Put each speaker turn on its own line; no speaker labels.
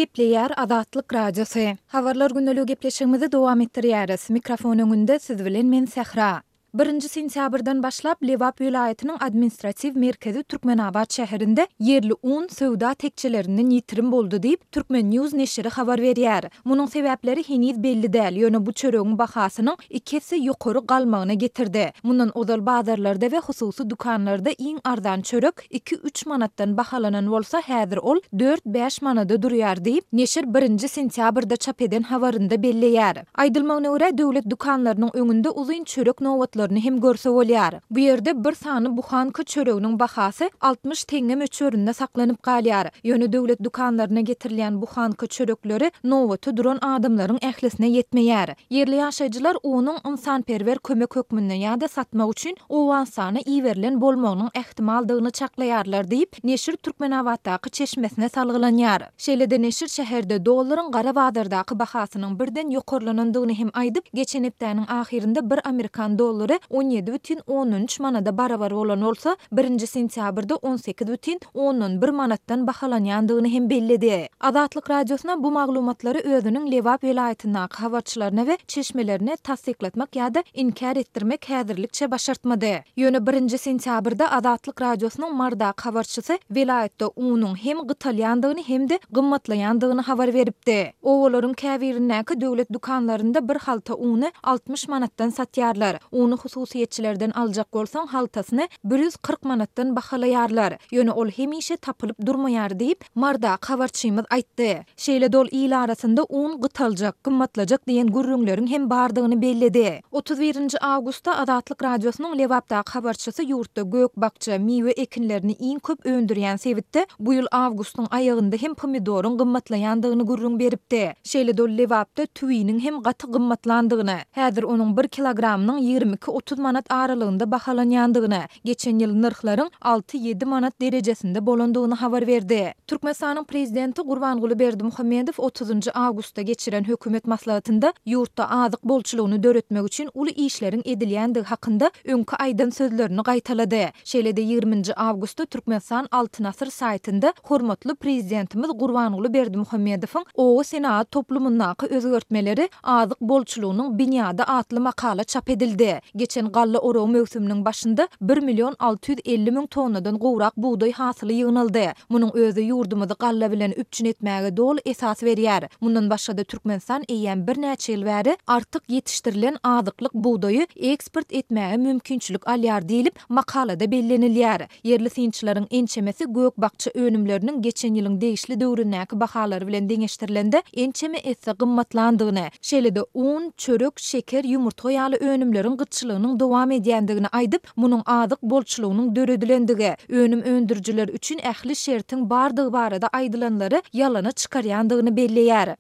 Gepleýär Azatlyk Radiosy. Habarlar gündeligi gepleşigimizi dowam etdirýäris. Mikrofon öňünde siz bilen men Sähra. Birinji sentýabrdan başlap Lebap welaýatynyň administratiw merkezi Türkmenabat şäherinde ýerli un söwda tekjelerinden ýitirim boldy diýip, Turkmen. News neşiri habar berýär. Munuň sebäpleri heniz belli däl, ýöne bu çöregiň bahasynyň iki esse ýokary galmagyna getirdi. Mundan ozal bazarlarda we hususy dükanlarda iň arzan çörek iki-üç manatdan bahalanan bolsa, häzir ol dört-bäş manada durýar diýip, neşir birinji sentýabrda çap eden habarynda belleýär. Aýdylmagyna görä, döwlet dükanlarynyň öňünde uzyn çörek nobatlaryny hem görse bolýar. Bu ýerde bir sany buhanka çöreginiň bahasy 60 teňňe möçberinde saklanyp galýar. Ýöne döwlet dükanlaryna getirilýän buhanka çörekleri nobata duran adamlaryň ählisine ýetmeýär. Ýerli ýaşaýjylar unuň ynsanperwer kömek hökmünde ýa-da satmak üçin Owganystana iberilen bolmagynyň ähtimaldygyny çaklaýarlar diýip, neşir Türkmenabatdaky çeşmesine salgylanýar. Şeýle-de neşir şäherde dollaryň gara bazardaky bahasynyň birden ýokarlanandygyny hem aýdyp, geçen hepdäniň ahyrynda bir amerikan dollary 17,3 manada barabar bolan bolsa, birinji sentýabrda 18,1 manatdan bahalanýandygyny hem belledi. Azatlyk Radiosyna bu maglumatlary özüniň Lebap welaýatyndaky habarçylaryna we çeşmelerine tassyklatmak ýa-da inkär etdirmek häzirlikçe başartmady. Ýöne birinji sentýabrda Azatlyk Radiosynyň Marydaky habarçysy welaýatda unuň hem gytalýandygyny hem-de gymmatlaýandygyny habar beripdi. Obalaryň käbirindäki döwlet dükanlarynda bir halta uny 60 manatdan satýarlar. Uny hususyýetçilerden aljak bolsaň, haltasyny 140 manatdan bahalaýarlar. Ýöne ol hemişe tapylyp durmaýar diýip, Marydaky habarçymyz aýtdy. Şeýle-de ol il arasynda un gytaljak, gymmatlajak diýen gürrüňleriň hem bardygyny belledi. 31 nji awgustda Azatlyk Radiosynyň Lebapdaky habarçysy ýurtda gök-bakja, miwe ekinlerini iň köp öndürýän sebitde bu ýyl awgustyň aýagynda hem pomidoryň gymmatlaýandygyny gürrüň beripdi. Şeýle-de ol Lebapda tüwiniň hem gaty gymmatlandygyny, häzir onuň bir kilogramynyň 22-30 manat aralygynda bahalanýandygyny, Geçen ýyl nyrhlaryň alty-ýedi manat derejesinde bolandygyny habar berdi. Türkmenistanyň Prezidenti Gurbanguly Berdimuhamedow otuzynjy awgustda geçiren hökümet maslahatynda ýurtda azyk bolçulygyny döretmek üçin uly işleriň edilýändigi hakynda öňki aýdan sözlerini gaýtalady. Şeýle-de ýigriminji awgustda Türkmenistan Altyn asyr saýtynda hormatly Prezidentimiz Gurbanguly Berdimuhamedowyň oba senagat toplumyndaky özgertmeleri Azyk bolçulygynyň binýady atly makala çap edildi. Geçen galla oragy möwsüminiň başynda bir million 650 müň tonnadan gowrak bugdaý hasyly ýygnaldy. Munuň özi ýurdumyzy galla bilen üpjün etmäge doly esas berýär. Mundan başga-da Türkmenistan eýýäm birnäçe ýyl bäri artyk ýetişdirilen azyklyk bugdaýy eksport etmäge mümkinçilik alýar diýlip, makalada bellenilýär. Ýerli synçylaryň ençemesi gök-bakja önümleriniň geçen ýylyň degişli döwründäki bahalary bilen deňeşdirilende ençeme esse gymmatlandygyny, şeýle-de un, çörek, şeker, ýumurtga ýaly önümleriň gytçylygynyň dowam edýändigini aýdyp, munuň azyk bolçulygynyň döredilendigi, önüm öndürijiler üçin ähli şertiň bardygy barada aýdylanlary ýalana çykarýandygyny belleýär.